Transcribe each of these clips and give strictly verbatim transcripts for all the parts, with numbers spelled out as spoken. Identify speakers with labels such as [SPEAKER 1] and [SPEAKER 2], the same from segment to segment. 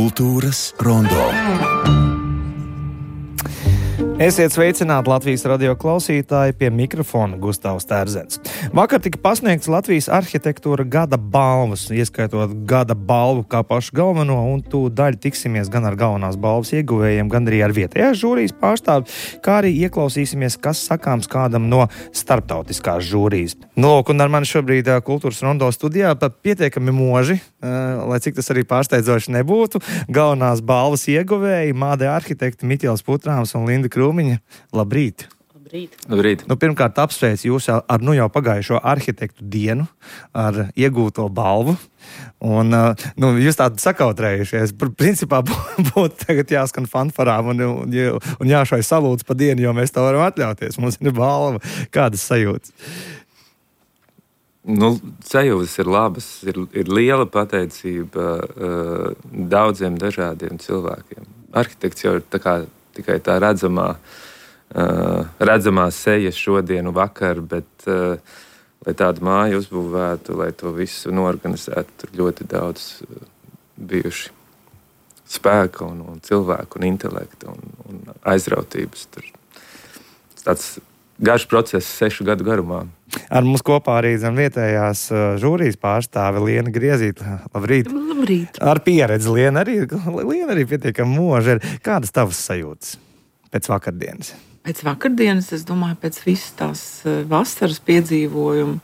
[SPEAKER 1] Kultūras rondo. Esiet sveicināti Latvijas radio klausītāji, pie mikrofona Gustavs Terzens. Vakar tika pasniegts Latvijas arhitektūra gada balvas, ieskaitot gada balvu kā pašu galveno, un tūdaļ tiksimies gan ar galvenās balvas ieguvējiem, gan arī ar vietējās žūrijas pārstāvi, kā arī ieklausīsimies, kas sakāms kādam no starptautiskās žūrijas. Lūk, un ar mani šobrīd Kultūras rondo studijā pat pietiekami moži, lai cik tas arī pārsteidzoši nebūtu, galvenās balvas ieguvēji Māde arhitekti Miķels Putrāms un Linda Krūmiņa. Labrīt!
[SPEAKER 2] Labrīt!
[SPEAKER 3] Labrīt.
[SPEAKER 1] Nu, pirmkārt, apsveicu jūs ar nu jau pagājušo arhitektu dienu, ar iegūto balvu. Un, nu, jūs tādi sakautrējušies. Principā būtu tagad jāskan fanfarām un, un, un jāšai salūdz pa dienu, jo mēs to varam atļauties. Mums ir balva. Kādas sajūtas?
[SPEAKER 3] Nu, sajūtas ir labas. Ir, ir liela pateicība uh, daudziem dažādiem cilvēkiem. Arhitekts jau ir tā kā tikai tā redzamā, uh, redzamā seja šodien un vakar, bet, uh, lai tādu māju uzbūvētu, lai to visu norganizētu, tur ļoti daudz uh, bijuši spēka un, un cilvēku un intelekta un, un aizrautības. Tur tāds garš process sešu gadu garumā.
[SPEAKER 1] Ar mums kopā arī zem vietējās uh, žūrijas pārstāve Liena Griezīta. Labrīt.
[SPEAKER 2] Labrīt.
[SPEAKER 1] Ar pieredzi Liena arī, Liena arī pietiekami moža. Kādas tavas sajūtas pēc vakardienas?
[SPEAKER 2] Pēc vakardienas, es domāju, pēc visas tās vasaras piedzīvojumu,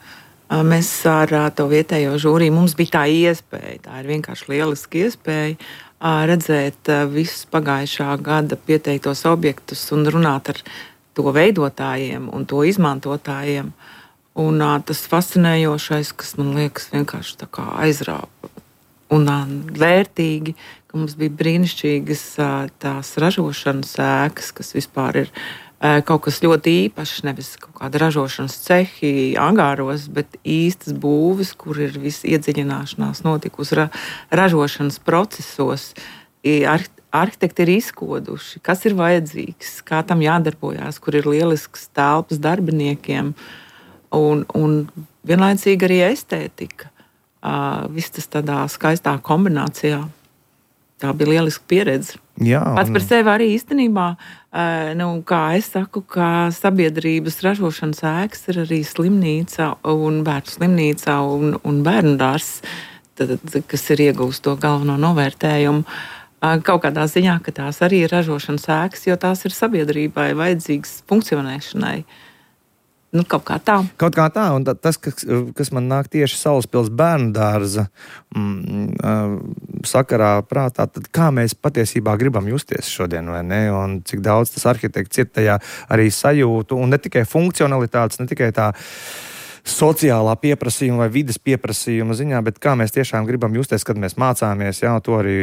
[SPEAKER 2] mēs ar to vietējo žūriju, mums bija tā iespēja, tā ir vienkārši lieliski iespēja redzēt visus pagājušā gada pieteiktos objektus un runāt ar to veidotājiem un to izmantotājiem. Un uh, tas fascinējošais, kas man liekas vienkārši tā kā aizrāpa un uh, vērtīgi, ka mums bija brīnišķīgas uh, tās ražošanas ēkas, kas vispār ir uh, kaut kas ļoti īpašs, nevis kaut kāda ražošanas cehi angāros, bet īstas būves, kur ir viss iedziļināšanās notikusi ra- ražošanas procesos. Ar, arhitekti ir izkoduši, kas ir vajadzīgs, kā tam jādarbojās, kur ir lielisks telpas darbiniekiem. Un, un vienlaicīgi arī estētika. Uh, viss tas tādā skaistā kombinācijā. Tā bija lieliska pieredze.
[SPEAKER 1] Jā,
[SPEAKER 2] Pats par sevi arī īstenībā, uh, nu, kā es saku, ka sabiedrības ražošanas ēkas ir arī slimnīca un bērnu slimnīca un, un bērnu dārzs, kas ir iegūst to galveno novērtējumu. Uh, kaut kādā ziņā, ka tās arī ir ražošanas ēkas, jo tās ir sabiedrībai vajadzīgas funkcionēšanai. Nu, kaut kā tā.
[SPEAKER 1] Kaut kā tā, un tas, kas, kas man nāk tieši Salaspils bērnu dārza mm, sakarā prātā, tad kā mēs patiesībā gribam justies šodien, vai ne? Un cik daudz tas arhitekts ir tajā arī sajūtu, un ne tikai funkcionalitātes, ne tikai tā sociālā pieprasījuma vai vides pieprasījuma ziņā, bet kā mēs tiešām gribam justies, kad mēs mācāmies. Jā, to arī,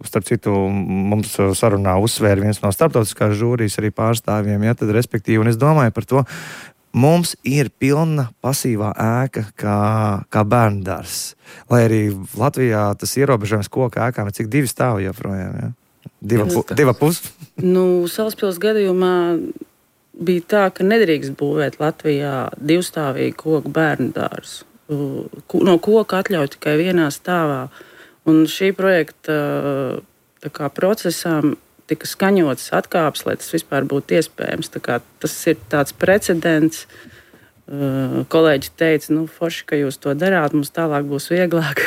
[SPEAKER 1] starp citu, mums sarunā uzsvēra viens no starptautiskās žūrijas arī pārstāvjiem, jā, tad respektīvi, un es domāju par to, mums ir pilna pasīvā ēka kā, kā bērndārs. Lai arī Latvijā tas ierobežojums koka ēkām ir cik divi stāvi joprojām. Ja? Diva, pu, diva pus.
[SPEAKER 4] Nu, Salaspils gadījumā bija tā, ka nedrīkst būvēt Latvijā divstāvīgu koku bērndārzu. No koka atļauj tikai vienā stāvā. Un šī projekta tā kā procesām tika skaņotas atkāpes, lai tas vispār būtu iespējams. Tā kā tas ir tāds precedents. Kolēģi teica, nu, forši, ka jūs to darāt, mums tālāk būs vieglāk.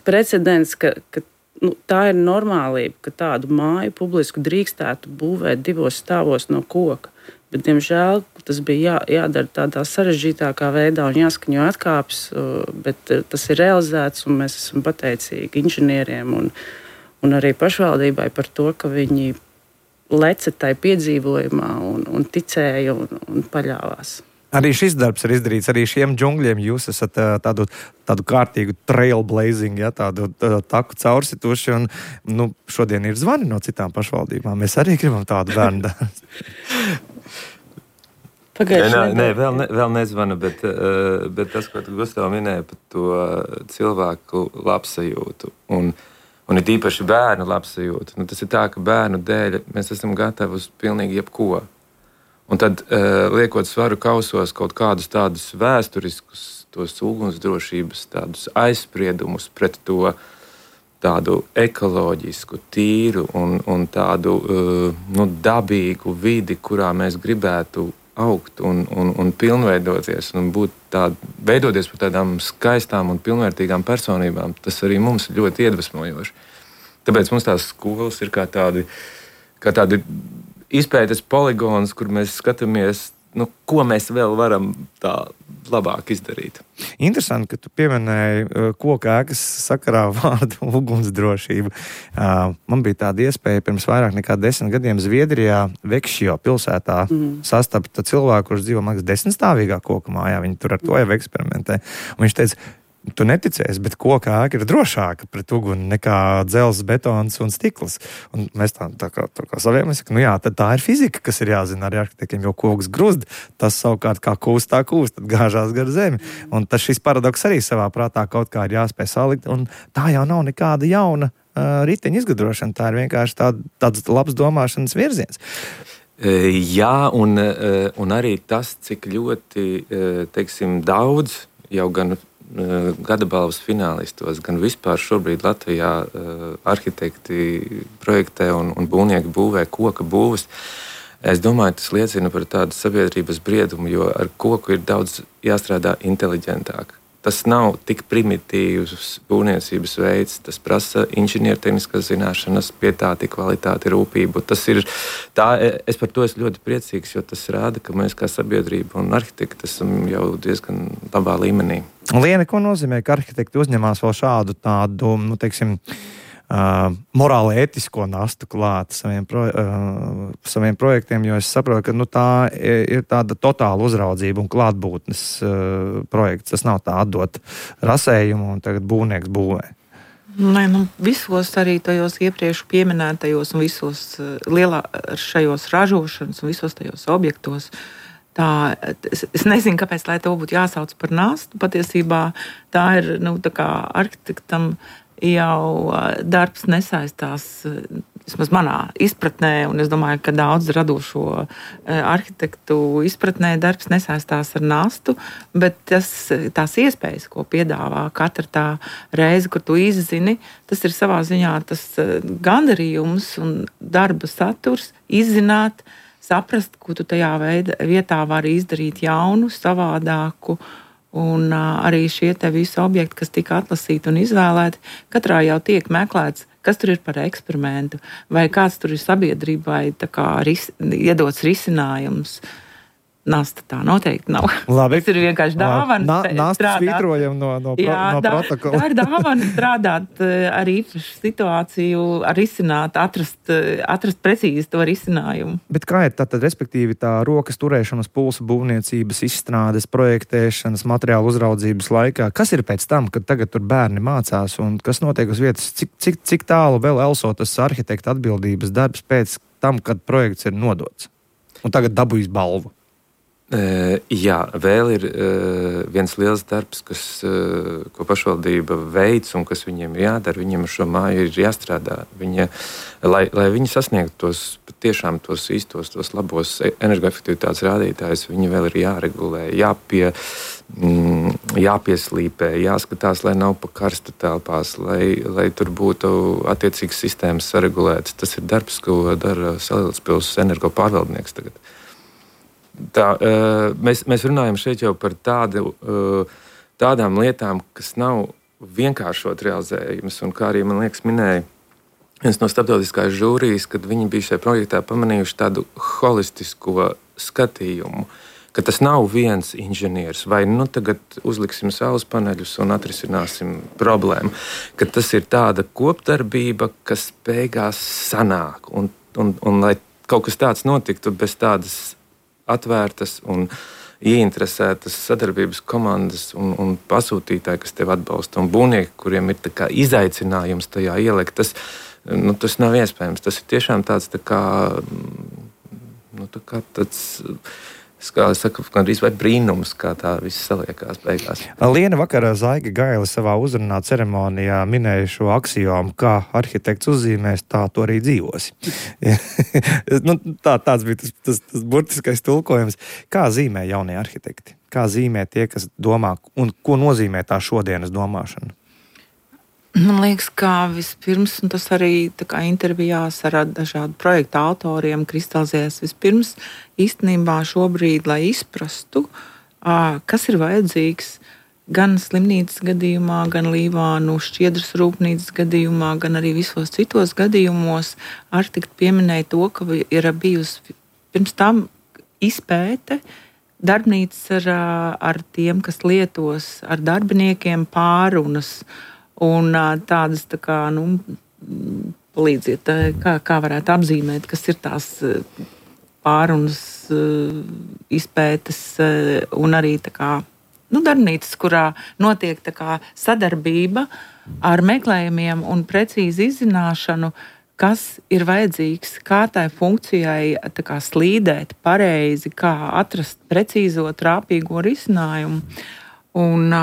[SPEAKER 4] Precedents, ka, ka nu, tā ir normālība, ka tādu māju publisku drīkstētu būvēt divos stāvos no koka. Bet, diemžēl, tas bija jā, jādara tādā sarežģītākā veidā un jāskaņo atkāpes, bet tas ir realizēts un mēs esam pateicīgi inženieriem un Un arī pašvaldībai par to, ka viņi leca tai piedzīvojumā un, un ticēja un, un paļāvās.
[SPEAKER 1] Arī šis darbs ir izdarīts, arī šiem džungļiem jūs esat tādu, tādu kārtīgu trailblazing, ja, tādu tā, taku caursituši, un nu, šodien ir zvani no citām pašvaldībām. Mēs arī gribam tādu bērnu dārzu.
[SPEAKER 3] Nē, nē, vēl, ne, vēl nezvanu, bet, bet tas, ko tu, Gustav, minēji par to cilvēku labsajūtu un Un ir īpaši bērnu labsajūta. Nu, tas ir tā, ka bērnu dēļ mēs esam gatavi uz pilnīgi jebko. Un tad, uh, liekot svaru kausos kaut kādus tādus vēsturiskus, tos ugunsdrošības, tādus aizspriedumus pret to tādu ekoloģisku, tīru un, un tādu nu, dabīgu vidi, kurā mēs gribētu augt un, un, un pilnveidoties un būt tād, veidoties par tādām skaistām un pilnvērtīgām personībām, tas arī mums ir ļoti iedvesmojoši. Tāpēc mums tās skolas ir kā tādi, kā tādi izpētes poligons, kur mēs skatāmies, nu, ko mēs vēl varam tā labāk izdarīt.
[SPEAKER 1] Interesanti, ka tu pieminēji koku ēkas sakarā vārdu ugunsdrošība. Man bija tāda iespēja pirms vairāk nekā desmit gadiem Zviedrijā, Vekšjo pilsētā mm. sastapt cilvēku, kurš dzīvo, man liekas, desmitstāvīgā koku mājā. Viņi tur ar to jau eksperimentē. Un viņš teica, tu neticēsi, bet koka ēka ir drošāka pret uguni nekā dzelzs, betons un stikls. Un mēs tā, tā kā, tā kā saviem, nu jā, tad tā ir fizika, kas ir jāzina arī arhitektiem, jo koks gruzd, tas savukārt kā kūst, tā kūst, tad gāžās gar zemi. Un tas šis paradoks arī savā prātā kaut kā ir jāspēj salikt, un tā jau nav nekāda jauna uh, riteņa izgudrošana, tā ir vienkārši tā, tāds labs domāšanas virziens.
[SPEAKER 3] Jā, un, un arī tas, cik ļoti, teiksim, daudz jau gan gada balvas finālistos, gan vispār šobrīd Latvijā uh, arhitekti projektē un, un būvnieki būvē koka būvas. Es domāju, tas liecina par tādu sabiedrības briedumu, jo ar koku ir daudz jāstrādā inteliģentāk. Tas nav tik primitīvs būvniecības veids, tas prasa inženiertehniskas zināšanas, pietāti, kvalitāti, rūpību. Tas ir, tā, es par to esmu ļoti priecīgs, jo tas rāda, ka mēs kā sabiedrība un arhitekti esam jau diezgan labā līmenī.
[SPEAKER 1] Liene, ko nozīmē, ka arhitekti uzņemās vēl šādu tādu, nu, teiksim, Uh, morāli ētisko nastu klāt saviem, pro, uh, saviem projektiem, jo es saprotu, ka nu, tā ir tāda totāla uzraudzība un klātbūtnes uh, projekts. Tas nav tā atdot rasējumu un tagad būvnieks būvē.
[SPEAKER 2] Nē, nu, visos arī tajos iepriekš pieminētajos un visos uh, lielā šajos ražošanas un visos tajos objektos. Tā, es, es nezinu, kāpēc, lai to būtu jāsauc par nastu. Patiesībā tā ir, nu, tā kā arhitektam jau darbs nesaistās, vismaz manā izpratnē, un es domāju, ka daudz radošo arhitektu izpratnē darbs nesaistās ar nastu, bet tas, tās iespējas, ko piedāvā katra tā reize, kur tu izzini, tas ir savā ziņā tas gandarījums un darba saturs, izzināt, saprast, ko tu tajā veida, vietā vari izdarīt jaunu, savādāku. Un uh, arī šie te visi objekti, kas tika atlasīti un izvēlēti, katrā jau tiek meklēts, kas tur ir par eksperimentu, vai kāds tur ir sabiedrībai tā kā ris, iedots risinājums. Nasta tā noteikti nav.
[SPEAKER 1] Labi.
[SPEAKER 2] Tas ir vienkārši dāvana.
[SPEAKER 1] Nā, nasta svītrojam no, no, pro,
[SPEAKER 2] Jā,
[SPEAKER 1] no
[SPEAKER 2] tā,
[SPEAKER 1] protokola.
[SPEAKER 2] Tā ir dāvana strādāt ar īpašu situāciju, ar izsināt, atrast, atrast precīzi to risinājumu.
[SPEAKER 1] Bet kā ir tā tad, respektīvi, tā rokas turēšanas, pulsa būvniecības, izstrādes, projektēšanas, materiālu uzraudzības laikā? Kas ir pēc tam, kad tagad tur bērni mācās un kas notiek uz vietas? Cik, cik, cik tālu vēl elso tas arhitekta atbildības darbs pēc tam, kad projekts ir nodots? Un tagad dabūjis balvu.
[SPEAKER 3] Uh, jā, vēl ir uh, viens liels darbs, kas, uh, ko pašvaldība veic un kas viņiem ir jādara. Viņiem ar šo māju ir jāstrādā. Viņa, lai, lai viņi sasniegtu tos tiešām tos īstos, tos labos energoefektivitātes rādītājus, viņi vēl ir jāregulē, jāpie, mm, jāpieslīpē, jāskatās, lai nav pa karstu telpās, lai, lai tur būtu attiecīgas sistēmas saregulētas. Tas ir darbs, ko dara Salīdz energo pārvaldnieks tagad. Tā, mēs, mēs runājam šeit jau par tādu, tādām lietām, kas nav vienkāršot realizējumas. Un kā arī, man liekas, minēja viens no starptautiskās žūrijas, kad viņi bija šajā projektā pamanījuši tādu holistisko skatījumu, ka tas nav viens inženieris, vai nu tagad uzliksim saules paneļus un atrisināsim problēmu, ka tas ir tāda kopdarbība, kas beigās sanāk. Un, un, un lai kaut kas tāds notiktu bez tādas atvērtas un ieinteresētas sadarbības komandas un, un pasūtītāji, kas tevi atbalsta, un būvnieki, kuriem ir tā kā izaicinājums tajā ielikt, tas, nu, tas nav iespējams. Tas ir tiešām tāds, tā kā, nu, tā kā tāds, kā saka, gandrīz vai brīnums, kā tā viss saliekās beigās.
[SPEAKER 1] Liena vakarā Zaiga Gaile savā uzrunā ceremonijā minēja šo aksiomu, kā arhitekts uzzīmēs, tā tu arī dzīvosi. nu, tā, tāds bija tas, tas, tas burtiskais tulkojums. Kā zīmē jaunie arhitekti? Kā zīmē tie, kas domā, un ko nozīmē tā šodienas domāšana?
[SPEAKER 2] Man liekas, ka vispirms, un tas arī tā kā intervijās ar dažādu projektu autoriem kristalizējas vispirms īstenībā šobrīd, lai izprastu, kas ir vajadzīgs gan slimnīcas gadījumā, gan Līvānu šķiedras rūpnīcas gadījumā, gan arī visos citos gadījumos. Arhitekti pieminēja to, ka ir bijusi pirms tam izpēte, darbnīcas ar, ar tiem, kas lietos ar darbiniekiem pārunas, un tādas, tā kā, nu, palīdziet, kā, kā varētu apzīmēt, kas ir tās pārunas izpētes un arī tā kā, nu, darbnīcas, kurā notiek tā kā sadarbība ar meklējumiem un precīzi izzināšanu, kas ir vajadzīgs, kā tai funkcijai tā kā slīdēt pareizi, kā atrast precīzo trāpīgo risinājumu. Un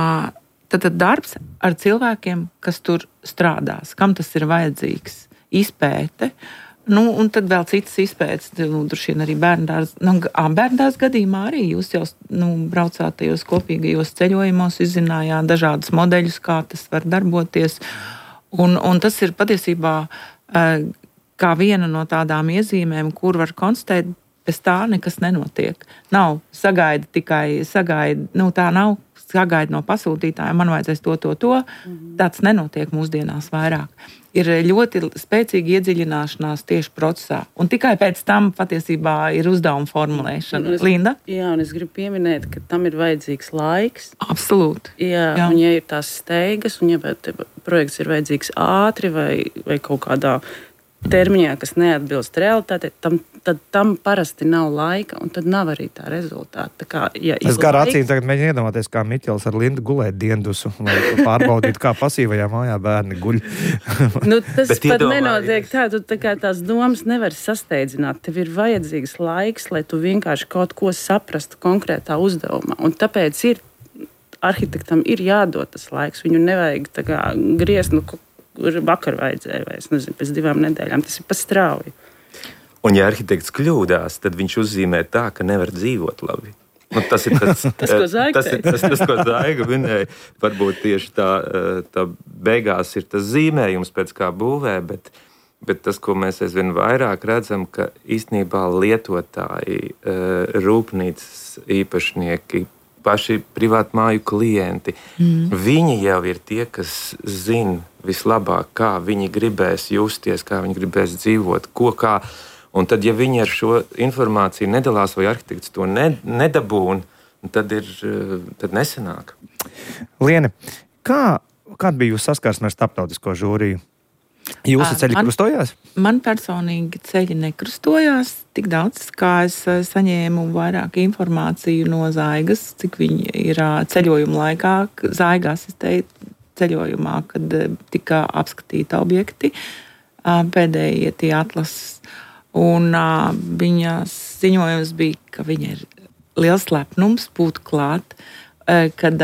[SPEAKER 2] Tad, tad darbs ar cilvēkiem, kas tur strādās, kam tas ir vajadzīgs, izpēte. Nu, un tad vēl citas izpētes, nu, droši vien arī bērndārs. Nu, bērndārs gadījumā arī jūs jau nu, braucāt tajos kopīgajos ceļojumos, izzinājāt dažādus modeļus, kā tas var darboties. Un, un tas ir patiesībā kā viena no tādām iezīmēm, kur var konstatēt, bez tā nekas nenotiek. Nav sagaida tikai sagaida, nu tā nav. Sagaida no pasūtītājiem, man vajadzēs to, to, to. Mm-hmm. Tāds nenotiek mūsdienās vairāk. Ir ļoti spēcīga iedziļināšanās tieši procesā. Un tikai pēc tam patiesībā ir uzdevuma formulēšana.
[SPEAKER 4] Es,
[SPEAKER 2] Linda?
[SPEAKER 4] Jā, un es gribu pieminēt, ka tam ir vajadzīgs laiks.
[SPEAKER 2] Absolūti.
[SPEAKER 4] Jā, jā. Un ja ir tās steigas, un ja projekts ir vajadzīgs ātri vai, vai kaut kādā termiņā, kas neatbilst realitātei, tam, tad tam parasti nav laika, un tad nav arī tā rezultāta. Tā kā, ja
[SPEAKER 1] es gar laiks... acīm tagad mēģinu iedomāties, kā Miķels ar Lindu gulēt diendusu, lai pārbaudītu, kā pasīvajā mājā bērni guļ.
[SPEAKER 4] Nu, tas Bet pat nenotiek tā, tu tā kā tās domas nevar sasteidzināt. Tev ir vajadzīgs laiks, lai tu vienkārši kaut ko saprastu konkrētā uzdevumā. Un tāpēc ir, arhitektam ir jādod tas laiks. Viņu nevajag tā kā griezt, nu, kur vakar vajadzēja, vai es nezinu, pēc divām nedēļām. Tas ir pa strauji.
[SPEAKER 3] Un ja arhitekts kļūdās, tad viņš uzzīmē tā, ka nevar dzīvot labi. Nu, tas ir tas,
[SPEAKER 4] tas, ko Zaiga
[SPEAKER 3] tas, tas, tas, ko Zaiga minēja. Varbūt tieši tā, tā beigās ir tas zīmējums, pēc kā būvē, bet, bet tas, ko mēs aizvien vairāk redzam, ka īstenībā lietotāji, rūpnīcas īpašnieki, paši privātmāju klienti, mm. viņi jau ir tie, kas zina vislabāk, kā viņi gribēs justies, kā viņi gribēs dzīvot, ko kā. Un tad, ja viņi ar šo informāciju nedalās vai arhitekts to ne, nedabūn, tad, ir, tad nesanāk.
[SPEAKER 1] Liene, kā, kāda bija jūsu saskarsme ar starptautisko žūriju? Jūsu ceļi man, krustojās?
[SPEAKER 2] Man personīgi ceļi nekrustojās tik daudz, kā es saņēmu vairāk informāciju no Zaigas, cik viņi ir ceļojuma laikā. Zaiga asistēja ceļojumā, kad tika apskatīti objekti, pēdējie tie atlases. Un viņas ziņojums bija, ka viņa ir liels lepnums būt klāt, kad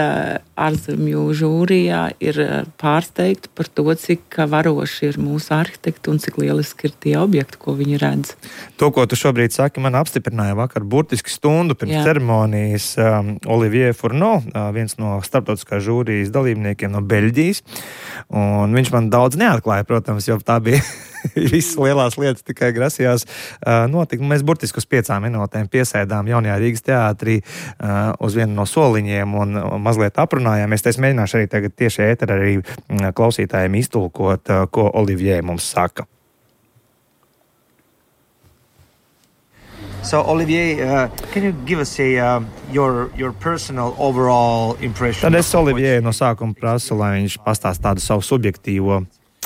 [SPEAKER 2] ārzemju žūrijā ir pārsteigti par to, cik varoši ir mūsu arhitekti un cik lieliski ir tie objekti, ko viņi redz.
[SPEAKER 1] To, ko tu šobrīd saki, man apstiprināja vakar burtiski stundu pirms Jā. ceremonijas um, Olivier Fourneau, uh, viens no starptautiskās žūrijas dalībniekiem no Beļģijas. Un viņš man daudz neatklāja, protams, jo tā bija visas lielās lietas tikai grasījās uh, notikt. Mēs burtiski uz piecām minūtēm piesēdām Jaunajā Rīgas teātrī uh, uz vienu no soliņiem un uh, mazliet aprunājāmies. Es mēģināšu arī tagad tieši ēterā arī uh, klausītājiem iztulkot, uh, ko Olivier mums saka.
[SPEAKER 5] So Olivier, uh, can you give us a uh, your your personal overall impression?
[SPEAKER 1] Tad es Olivier no sākuma prasu, lai viņš pastāsta tādu savu subjektīvo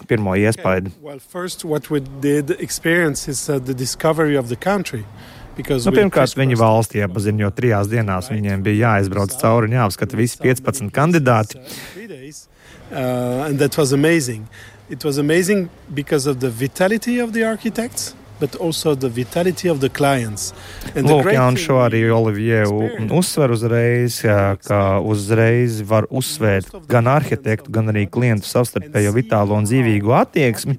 [SPEAKER 1] pirmo iespaidu.
[SPEAKER 6] Okay. Well, first, what we did experience is uh, the discovery of the country.
[SPEAKER 1] Nu, pirmkārt, viņi valsti iepaziņo, jo trijās dienās viņiem bija jāizbrauc cauri un jāapskata visi piecpadsmit kandidāti.
[SPEAKER 6] Uh, and that was amazing. It was amazing because of the vitality of the architects, but also the vitality of the clients. And
[SPEAKER 1] Lūk, jā, un šo arī Olivier uzsver uzreiz, ka uzreiz var uzsvērt gan arhitektu, gan arī klientu savstarpējo vitālo un dzīvīgu attieksmi.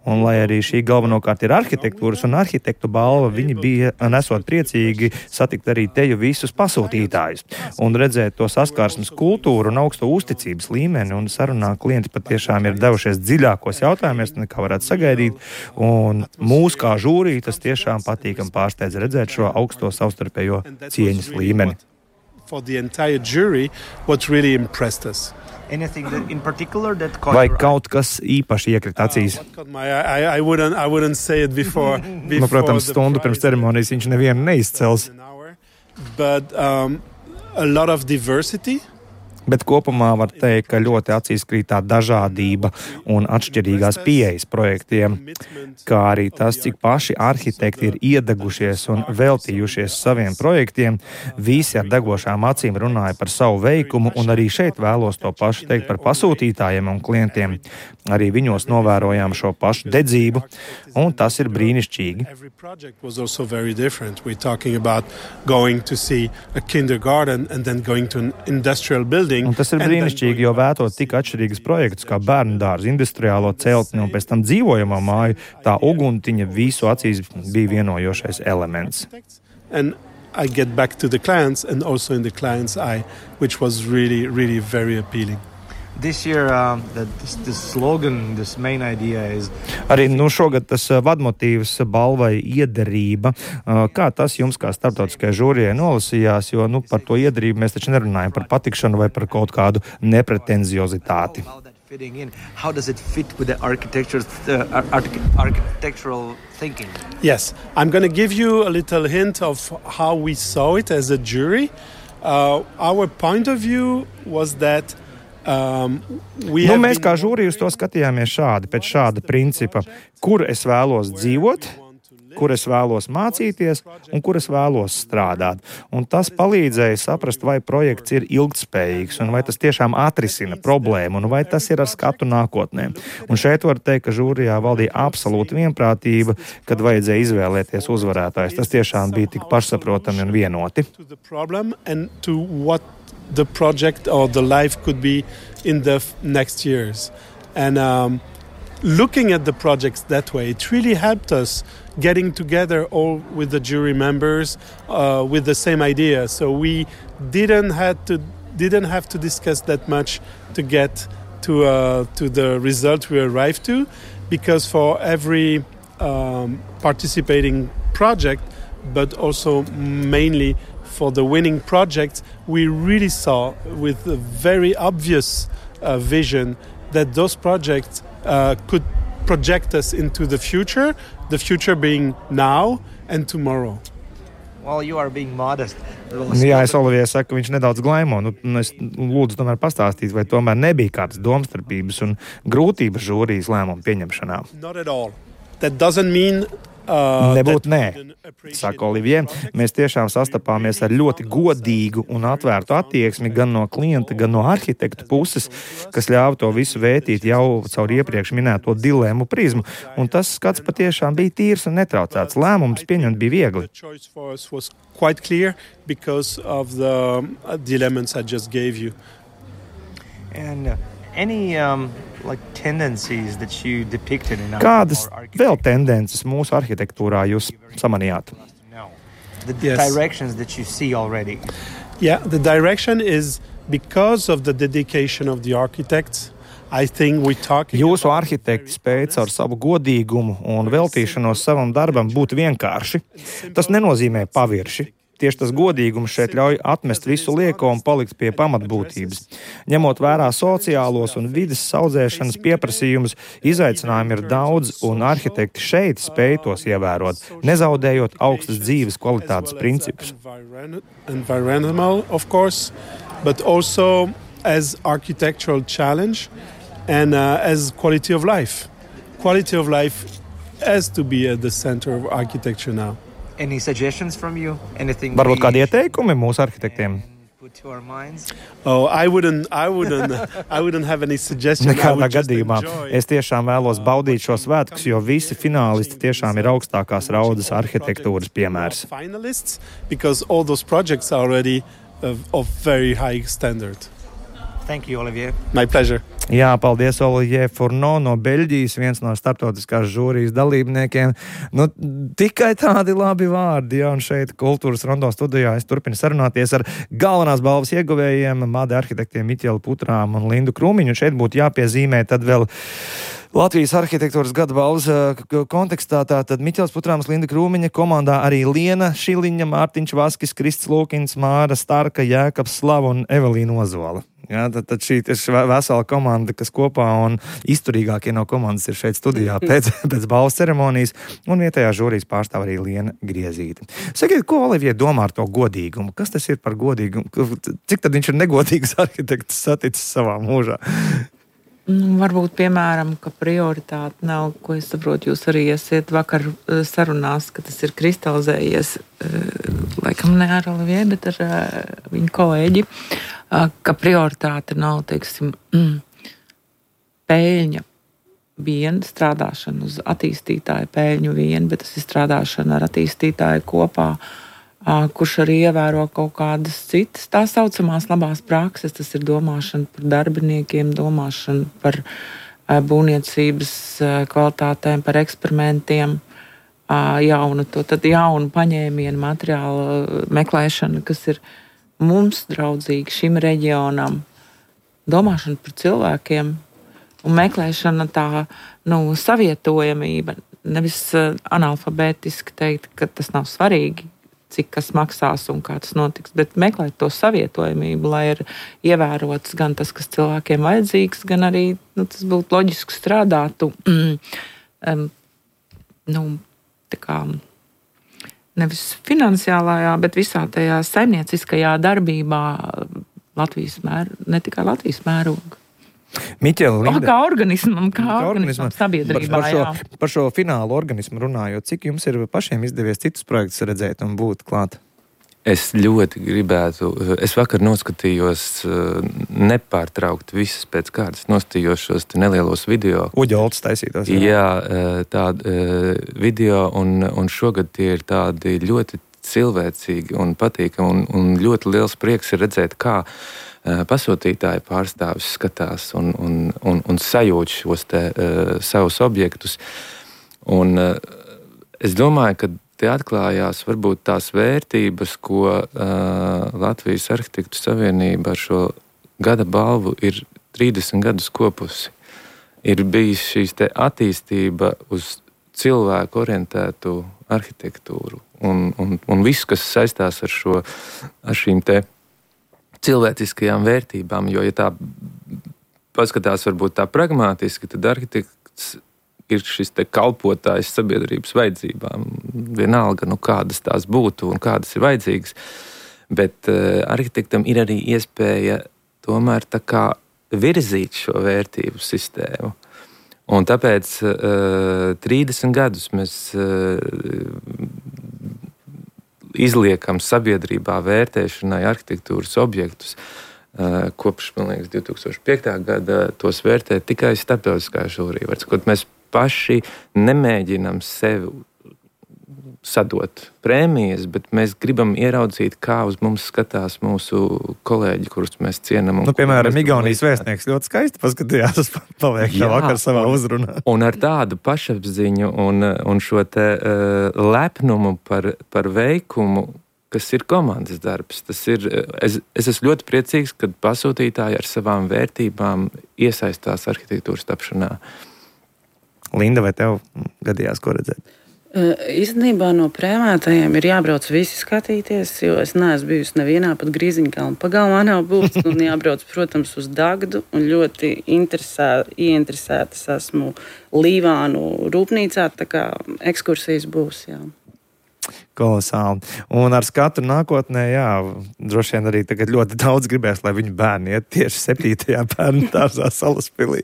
[SPEAKER 1] Un, lai arī šī galvenokārt ir arhitektūras un arhitektu balva, viņi bija nesot priecīgi satikt arī teju visus pasūtītājus un redzēt to saskarsmes kultūru un augsto uzticības līmeni. Un sarunā klienti patiešām ir devušies dziļākos jautājumos, nekā varētu sagaidīt. Un mūs kā žūrī tas tiešām patīkam pārsteidz redzēt šo augsto savstarpējo cieņas līmeni.
[SPEAKER 6] For the entire jury, what really impressed us.
[SPEAKER 5] Anything that in particular that caught
[SPEAKER 1] Vai
[SPEAKER 5] your eye?
[SPEAKER 1] kaut kas īpaši iekrita acīs?
[SPEAKER 6] Uh, what caught my eye, I, I wouldn't, I wouldn't say it before. before
[SPEAKER 1] Nu, protams,
[SPEAKER 6] the
[SPEAKER 1] stundu
[SPEAKER 6] prize
[SPEAKER 1] pirms ceremonijas viņš nevienu neizcels.
[SPEAKER 6] an hour. But um, a lot of diversity.
[SPEAKER 1] Bet kopumā var teikt, ka ļoti acīs krīt tā dažādība un atšķirīgās pieejas projektiem, kā arī tas, cik paši arhitekti ir iedegušies un veltījušies saviem projektiem. Visi ar degošām acīm runāja par savu veikumu, un arī šeit vēlos to pašu teikt par pasūtītājiem un klientiem. Arī viņos novērojām šo pašu dedzību, un tas ir brīnišķīgi.
[SPEAKER 6] Every project was also very different. We're talking about going to see a kindergarten and then going to an industrial building.
[SPEAKER 1] Un tas ir brīnišķīgi, jo vētot tik atšķirīgus projektus kā bērnu dārzu, industriālo celtni un pēc tam dzīvojamo māju, tā uguntiņa visu acīs bija vienojošais elements.
[SPEAKER 6] And I get back to the clients and also in the client's eye, which was really, really very appealing.
[SPEAKER 5] This year, uh, the, this, this slogan, this main idea is.
[SPEAKER 1] Arī nu, šogad tas uh, vadmotīvs balvai iederība. Uh, Kā tas jums, kā starptautiskajai žūrijai, nolasījās? Jo nu, par to iederību mēs taču nerunājam par patikšanu vai par kaut kādu nepretenziozitāti.
[SPEAKER 5] How that fitting in? How does it fit with the architecture, uh, arch- architectural thinking?
[SPEAKER 6] Yes, I'm going to give you a little hint of how we saw it as a jury. Uh, our point of view was that Um,
[SPEAKER 1] nu, mēs kā žūrija uz to skatījāmies šādi, pēc šāda principa, kur es vēlos dzīvot, kur es vēlos mācīties un kur es vēlos strādāt. Un tas palīdzēja saprast, vai projekts ir ilgtspējīgs un vai tas tiešām atrisina problēmu un vai tas ir ar skatu nākotnē. Un šeit var teikt, ka žūrijā valdīja absolūta vienprātība, kad vajadzēja izvēlēties uzvarētājs. Tas tiešām bija tik pašsaprotami un vienoti.
[SPEAKER 6] The project or the life could be in the f- next years. And um, looking at the projects that way, it really helped us getting together all with the jury members uh, with the same idea. So we didn't had to didn't have to discuss that much to get to uh, to the result we arrived to, because for every um, participating project, but also mainly for the winning projects, we really saw with a very obvious uh, vision that those projects uh, could project us into the future, the future being now and tomorrow.
[SPEAKER 5] Well, you are being modest.
[SPEAKER 1] Jā, es Olivijai saku, ka viņš nedaudz glaimo. Nu, es lūdzu tomēr pastāstīt, vai tomēr nebija kādas domstarpības un grūtības žūrijas lēmumu pieņemšanā.
[SPEAKER 6] Not at all. That doesn't mean Uh,
[SPEAKER 1] Nebūt nē, saka Olivijai. Mēs tiešām sastapāmies ar ļoti godīgu un atvērtu attieksmi gan no klienta, gan no arhitektu puses, kas ļāva to visu vērtīt jau caur iepriekš minēto dilemmu prizmu. Un tas skats patiešām bija tīrs un netraucēts. Lēmums pieņemt bija viegli.
[SPEAKER 6] Quite clear because of the dilemmas I just gave you.
[SPEAKER 5] And uh, any um, like tendencies that you depicted in our
[SPEAKER 1] Kādas vēl tendences mūsu arhitektūrā jūs samanījāt?
[SPEAKER 5] The yes. directions that you see already.
[SPEAKER 6] Yeah, the direction is because of the dedication of the architects. I think we talking
[SPEAKER 1] Jūsu arhitekti spēj ar savu godīgumu un veltīšanos savam darbam būt vienkārši. Tas nenozīmē pavirši. Tieši tas godīgums šeit ļauj atmest visu lieko un palikt pie pamatbūtības. Ņemot vērā sociālos un vides saudzēšanas pieprasījumus, izaicinājumi ir daudz, un arhitekti šeit spēj tos ievērot, nezaudējot augstas dzīves kvalitātes principus.
[SPEAKER 6] Environmental, of course, but also as architectural challenge and uh, as quality of life. Quality of life has to be at the center of architecture now.
[SPEAKER 5] Any suggestions from you? Anything?
[SPEAKER 1] Varbūt kādi ieteikumi mūsu arhitektiem?
[SPEAKER 6] Oh, I wouldn't, I wouldn't, I wouldn't have any suggestions.
[SPEAKER 1] Nekādā gadījumā. Es tiešām vēlos baudīt šo svētkus, jo visi finālisti tiešām ir augstākās raudas arhitektūras piemērs.
[SPEAKER 6] Finalists, because all those projects are already of, of very high standard.
[SPEAKER 5] Thank you, Olivier.
[SPEAKER 6] My pleasure.
[SPEAKER 1] Jā, paldies, Olivier Fourneau no Beļģijas, viens no starptautiskās žūrijas dalībniekiem. Nu, tikai tādi labi vārdi, jā, un šeit Kultūras Rondo studijā es turpinu sarunāties ar galvenās balvas ieguvējiem, Made arhitektiem Miķeli Putrām un Lindu Krūmiņu. Šeit būtu jāpiezīmē tad vēl Latvijas arhitektūras gada balvas kontekstā, tātad Miķels Putrāms, Linda Krūmiņa, komandā arī Liena Šiliņa, Mārtiņš Vaskis, Krists Lūkins, Māra Starka, Jēkabs Slava un Evelīna Ozola. Jā, tad, tad šī ir vesela komanda, kas kopā un izturīgākie no komandas ir šeit studijā pēc, pēc balvas ceremonijas, un vietējā žūrijas pārstāv arī Liena Griezīte. Sakiet, ko Olivier domā ar to godīgumu? Kas tas ir par godīgumu? Cik tad viņš ir negodīgs arhitekts saticis savā mūžā?
[SPEAKER 2] Nu, varbūt, piemēram, ka prioritāte nav, ko es saprotu, jūs arī esiet vakar sarunās, ka tas ir kristalizējies, laikam ne ar Olivier, bet ar viņu kolēģi, ka prioritāte nav, teiksim, pēļņa viena, strādāšana uz attīstītāju pēļņu viena, bet tas ir strādāšana ar attīstītāju kopā, kurš arī ievēro kaut kādas citas tā saucamās labās prakses. Tas ir domāšana par darbiniekiem, domāšana par būvniecības kvalitātēm, par eksperimentiem, jaunu, to, tad jaunu paņēmienu materiālu meklēšana, kas ir mums draudzīgi šim reģionam, domāšana par cilvēkiem un meklēšana tā, nu, savietojamība, nevis analfabētiski teikt, ka tas nav svarīgi, cik kas maksās un kā tas notiks, bet meklēt to savietojamību, lai ir ievērots gan tas, kas cilvēkiem vajadzīgs, gan arī, nu, tas būtu loģiski strādātu, mm, um, nu, tā kā nevis finansiālajā, bet visā tajā saimnieciskajā darbībā Latvijas mēr, ne tikai Latvijas mēroga.
[SPEAKER 1] Miķeli, Linda.
[SPEAKER 2] O, kā organismam, kā, kā organismam sabiedrībā,
[SPEAKER 1] par šo,
[SPEAKER 2] jā.
[SPEAKER 1] Par šo finālu organismu runājot, cik jums ir pašiem izdevies citus projektus redzēt un būt klāt?
[SPEAKER 3] Es ļoti gribētu, es vakar noskatījos nepārtraukt visas pēc kārtas, noskatījos šos nelielos video.
[SPEAKER 1] Uģolds taisītos. Jā,
[SPEAKER 3] jā tādi video, un, un šogad tie ir tādi ļoti cilvēcīgi un patīkami, un, un ļoti liels prieks ir redzēt, kā pasūtītāji pārstāvis skatās un, un, un, un sajūt šos te uh, savus objektus. Un uh, es domāju, ka te atklājās varbūt tās vērtības, ko uh, Latvijas Arhitektu Savienība ar šo gada balvu ir trīsdesmit gadus kopusi. Ir bijis šīs te attīstība uz cilvēku orientētu arhitektūru un, un, un viss, kas saistās ar, šo, ar šīm te cilvēciskajām vērtībām, jo, ja tā paskatās varbūt tā pragmatiski, tad arhitekts ir šis te kalpotājs sabiedrības vajadzībām. Vienalga, nu kādas tās būtu un kādas ir vajadzīgas, bet uh, arhitektam ir arī iespēja tomēr tā kā virzīt šo vērtību sistēmu. Un tāpēc uh, trīsdesmit gadus mēs uh, izliekam sabiedrībā vērtēšanai arhitektūras objektus. Kopš, man liekas, divi tūkstoši piektā gada tos vērtē tikai starptautiskā žūrija. Varbūt mēs paši nemēģinām sevi sadot prēmijas, bet mēs gribam ieraudzīt, kā uz mums skatās mūsu kolēģi, kurus mēs cienam.
[SPEAKER 1] Nu, piemēram, Igaunijas vēstnieks ļoti skaisti paskatījās pavēkšā vakar savā uzrunā.
[SPEAKER 3] Un ar tādu pašapziņu un, un šo te uh, lepnumu par, par veikumu, kas ir komandas darbs. Tas ir, es, es esmu ļoti priecīgs, kad pasūtītāji ar savām vērtībām iesaistās arhitektūras tapšanā.
[SPEAKER 1] Linda, vai tev gadījās ko redzēt?
[SPEAKER 4] Īstenībā no prēmētajiem ir jābrauc visi skatīties, jo es neesmu bijusi nevienā pat Grīziņkalna pagalmā nav būs, un jābrauc, protams, uz Dagdu, un ļoti interesē, ieinteresētas esmu Līvānu rūpnīcā, tā kā ekskursijas būs, jā.
[SPEAKER 1] Kolosāli. Un ar skatu nākotnē, jā, droši vien arī tagad ļoti daudz gribēs, lai viņu bērni iet tieši septītajā bērnu dārzā Salaspilī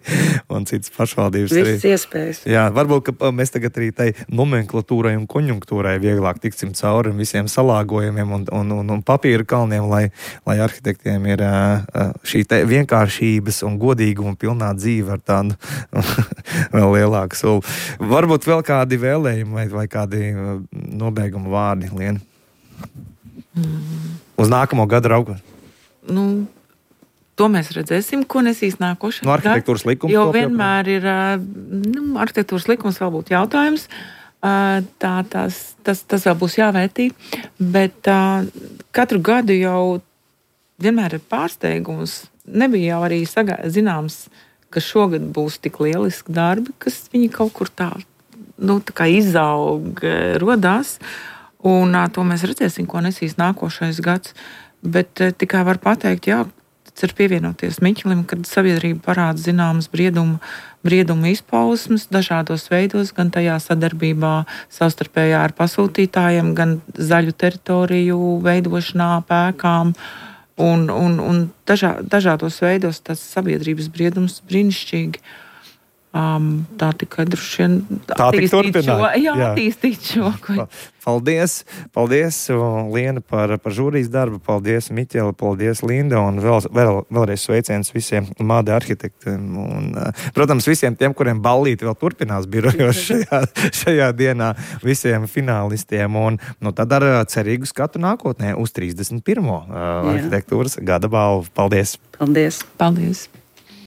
[SPEAKER 1] un citas pašvaldības.
[SPEAKER 4] Viss iespējas.
[SPEAKER 1] Jā, varbūt, ka mēs tagad arī tai nomenklatūrai un konjunktūrai vieglāk tiksim cauri visiem salāgojumiem un, un, un, un papīra kalniem, lai, lai arhitektiem ir šī te vienkāršības un godīguma pilnā dzīve ar tādu vēl lielāku sulu. Varbūt vēl kādi vēlējumi vai, vai kādi nobeiguma vārdi, Liena? Mm. Uz nākamo gadu raugot?
[SPEAKER 2] Nu, to mēs redzēsim, ko nesīs nākošais
[SPEAKER 1] No arhitektūras likums.
[SPEAKER 2] Jo vienmēr ir, nu, arhitektūras likums vēl būtu jautājums. Tā, tās, tas, tas vēl būs jāvērtī, bet uh, katru gadu jau vienmēr ir pārsteigums. Nebija jau arī sagā, zināms, ka šogad būs tik lieliski darbi, kas viņi kaut kur tā, nu, tā kā izaug, rodās. Un uh, to mēs redzēsim, ko nesīs nākošais gads. Bet uh, tikai var pateikt, jā, tas ir pievienoties Miķelim, kad sabiedrība parāda zināmas brieduma, brieduma izpausmes dažādos veidos, gan tajā sadarbībā savstarpējā ar pasūtītājiem, gan zaļu teritoriju veidošanā, pēkām. Un, un, un dažā, dažādos veidos tas sabiedrības briedums brīnišķīgi. Um, tā tikai droši vien attīstīt šo, jā, jā. attīstīt šo. Ko...
[SPEAKER 1] Paldies, paldies Liena par, par žūrijas darbu, paldies Miķela, paldies Linda un vēl, vēl, vēlreiz sveiciens visiem Māde arhitektiem un, protams, visiem tiem, kuriem ballīti vēl turpinās birojos šajā, šajā dienā, visiem finālistiem un nu, tad ar cerīgu skatu nākotnē uz trīsdesmit pirmo arhitektūras gada balvu. Paldies!
[SPEAKER 4] Paldies!
[SPEAKER 2] Paldies!